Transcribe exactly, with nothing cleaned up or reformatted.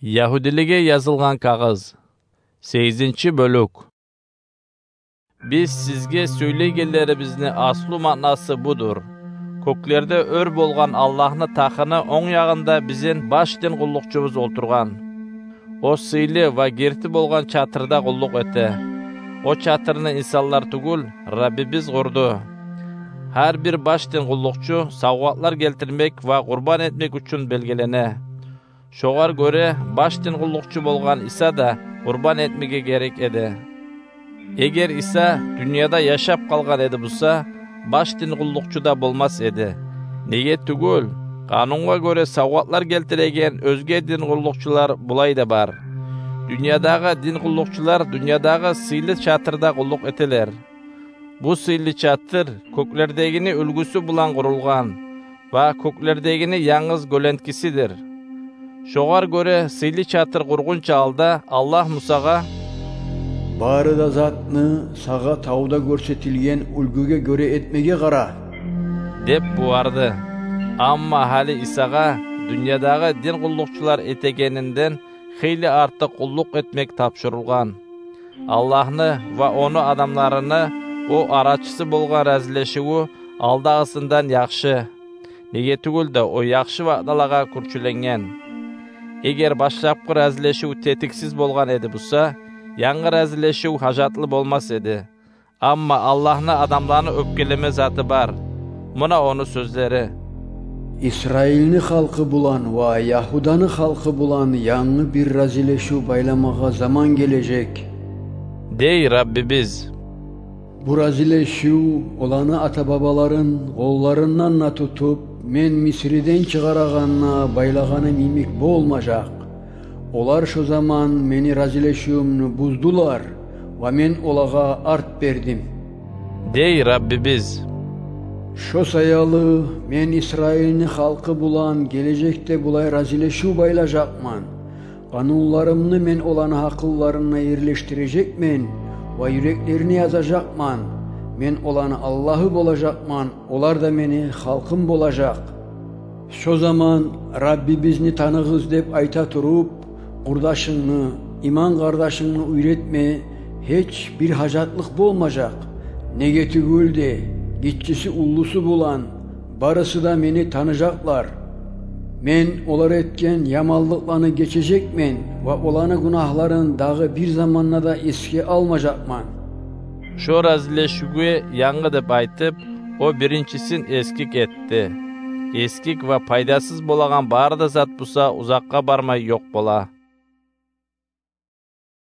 Ягьудилеге язылгъан кагъыз. Сегизинчи бёлюк. Биз сизге сёйлейгенлерибизни аслу маънасы будур: кёклерде оьр болгъан Аллагьны тахыны онг ягъында бизин баш дин къуллукъчубуз олтургъан. О сыйлы ва герти болгъан чатырда къуллукъ эте. О чатырны инсанлар тюгюл, Раббибиз къурду. Гьар бир баш дин къуллукъчу савгъатлар гелтирмек ва къурбан этмек учун белгилене. Шогъар гёре баш дин къуллукъчу болгъан Иса да къурбан этмеге герек эди. Эгер Иса дюньяда яшап къалгъан эди буса, баш дин къуллукъчу да болмас эди. Неге тюгюл, къанунгъа гёре савгъатлар гелтиреген оьзге дин къуллукъчулар булай да бар. Дюньядагъы дин къуллукъчулар дюньядагъы сыйлы чатырда къуллукъ этелер. Бу сыйлы чатыр кёклердегини уьлгюсю булан къурулгъан ва кёклердегини янгыз гёленткисидир. Шогъар гёре сыйлы чатыр къургъунча алда Аллагь Мусагъа: «Бары да затны сагъа тавда гёрсетилген уьлгюге гёре этмеге къара», — деп буюрду. Амма гьали Исагъа дюньядагъы дин къуллукъчулар этегенинден хыйлы артыкъ къуллукъ этмек тапшурулгъан. Аллагьны ва ону адамларыны о арачысы болгъан разилешивю алдагъысындан яхшы. Неге тюгюл де о яхшы ваъдалагъа кюрчюленген. Эгер башлапгъы разилешив тетиксиз болгъан эди буса, янгы разилешив гьажатлы болмас эди. Амма Аллагьны адамланы оьпкелеме заты бар. Муна ону сёзлери: «Исраилни халкъы булан ва Ягьуданы халкъы булан янгы бир разилешив байламагъа заман гележек, — дей Раббибиз. — Бу разилешив оланы ата-бабаларын къолларындан да тутуп, мен Мисриден чыгъарагъанда байлагъаным йимик болмажакъ. Олар шо заман мени разилешивюмню буздулар ва мен олагъа арт бердим, — дей Раббибиз. — Шо саялы мен Исраилни халкъы булан гележекде булай разилешив байлажакъман: къанунларымны мен оланы гьакъылларына ерлешдирежекмен ва юреклерине язажакъман. Мен оланы Аллагьы болажакъман, олар да мени халкъым болажакъ. Шо заман Раббибизни таныгъыз деп айта туруп, къурдашынгны, иман къардашынгны уьйретме гьеч бир гьажатлыкъ болмажакъ. Неге тюгюл де, гиччиси уллусу булан, барысы да мени таныжакълар. Мен олар этген яманлыкъланы гечежекмен ва оланы гюнагьларын дагъы бир заманда да эсге алмажакъман». Шо разилешивге янгы деп айтып, о биринчисин эсгик этди. Эсгик ва пайдасыз болагъан бары да зат буса узакъгъа бармай ёкъ бола.